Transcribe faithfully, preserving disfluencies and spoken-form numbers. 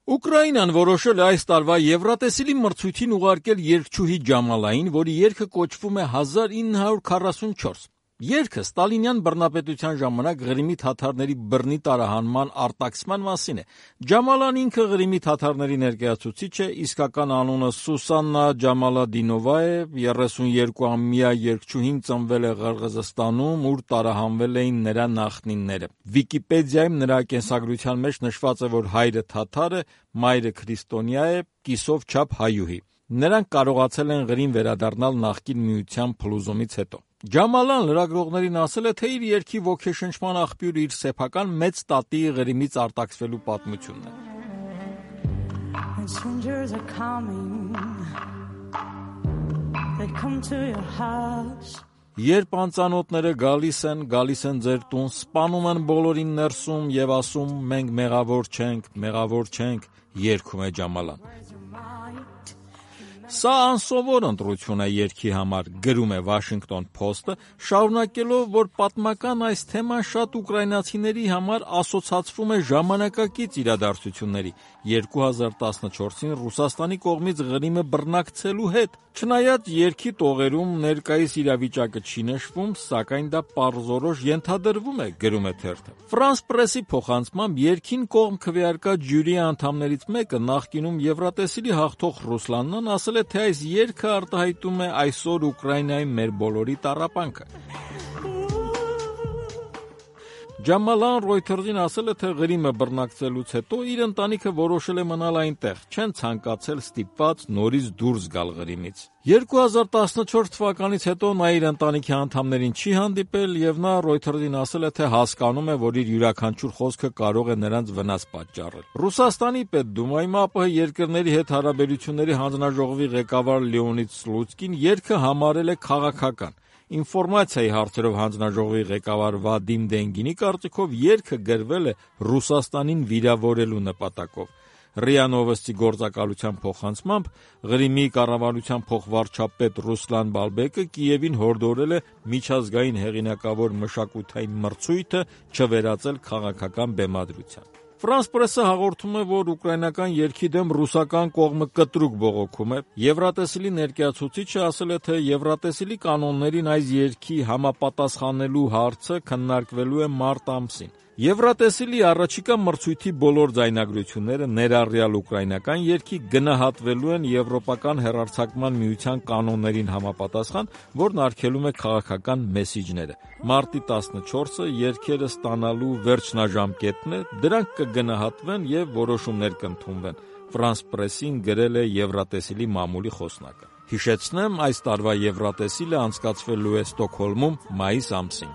Ուկրաինան որոշել է այս տարվա Եվրատեսիլի մրցույթին ուղարկել երգչուհի Ջամալային, որի երգը կոչվում է հազար ինը հարյուր քառասունչորս։ Երգը ստալինյան բռնապետության ժամանակ Ղրիմի թաթարների բռնի տարահանման արտաքսման մասին է։ Ջամալան ինքը Ղրիմի թաթարների ներկայացուցիչ է, իսկական անունը Սուսաննա Ջամալադինովա է, երեսունյոթամյա երգչուհին ծնվել է Ղրղզստանում, ուր տարահանվել էին նրա նախնիները։ Վիկիպեդիայում նրա կենսագրության մեջ նշված է, որ հայրը թաթար է, մայրը քրիստոնյա է, կիսով չափ հայուհի։ Նրանք կարողացել են Ղրիմ վերադառնալ նախկին միության փլուզումից հետո։ Ջամալան լրագրողներին ասել է, թե իր երգի ոգեշնչման աղբյուրը իր սեփական մեծ տատի Ղրիմից արտաքսվելու պատմությունն է։ Երբ անծանոթները գալիս են, գալիս են ձեր տուն, սպանում են բոլորին ներսում եւ ասում մենք մեղավոր չենք, մեղավոր չենք, երգում է Ջամալան։ Սա անսովոր ընտրություն է երգի համար, գրում է Washington Post-ը, շարունակելով, որ պատմական այս թեման շատ ուկրաինացիների համար ասոցացվում է ժամանակակից իրադարձությունների երկու հազար տասնչորսին Ռուսաստանի կողմից Ղրիմը բռնակցելու հետ։ Չնայած երգի տողերում ներկայիս իրավիճակը չի նշվում, սակայն դա պարզորոշ ենթադրվում է, գրում է թերթը։ France Press-ի փոխանցմամբ երգին կողմ քվեարկած ժյուրիի անդամներից մեկը նախկինում Եվրատեսիլի հաղթող Ռուսլանն ասել է, թե այս երգը արտահայտում է այսօր Ուկրաինայի մեր բոլորի տառապանքը։ Ջամալան Reuters-ին ասել է, թե Ղրիմը բռնակցելուց հետո իր ընտանիքը որոշել է մնալ այնտեղ, չեն ցանկացել ստիպված նորից դուրս գալ Ղրիմից։ երկու հազար տասնչորս թվականից հետո նա իր ընտանիքի անդամներին չի հանդիպել եւ նա Reuters-ին ասել է, թե հասկանում է, որ իր յուրաքանչյուր խոսքը կարող է նրանց վնաս պատճառել։ Ռուսաստանի Պետդումայում ԱՊՀ երկրների հետ հարաբերությունների հանձնաժողովի ղեկավար Լեոնիդ Սլուցկին երգը համարել է քաղաքական։ Ինֆորմացիայի հարցերով հանձնաժողովի ղեկավար Վադիմ Դենգինի կարծիքով երգը գրվել է Ռուսաստանին վիրավորելու նպատակով։ ՌԻԱ Նովոստի գործակալության փոխանցմամբ Ղրիմի կառավարության փոխվարչապետ Ռուսլան Բալբեկը Կիևին հորդորել է միջազգային հեղինակավոր մշակութային մրցույթը չվերածել քաղաքական բեմադրության։ France Press-ը հաղորդում է, որ ուկրաինական երգի դեմ ռուսական կողմը կտրուկ բողոքում է։ Եվրատեսիլի ներկայացուցիչը ասել է, թե Եվրատեսիլի կանոններին այս երգի համապատասխանելու հարցը քննարկվելու է մարտ ամսին։ Եվրատեսիլի առաջիկա մրցույթի բոլոր ձայնագրությունները, ներառյալ ուկրաինական երգի, գնահատվելու են Եվրոպական հեռարձակման միության կանոններին համապատասխան, որն արգելում է քաղաքական մեսիջները։ Մարտի տասնչորսը երգերը ստանալու վերջնաժամկետն է, դրանք կգնահատվեն եւ որոշումներ կընդունվեն։ France Press-ին գրել է Եվրատեսիլի մամուլի խոսնակը։ Հիշեցնեմ, այս տարվա Եվրատեսիլը անցկացվելու է Ստոկհոլմում մայիս ամսին։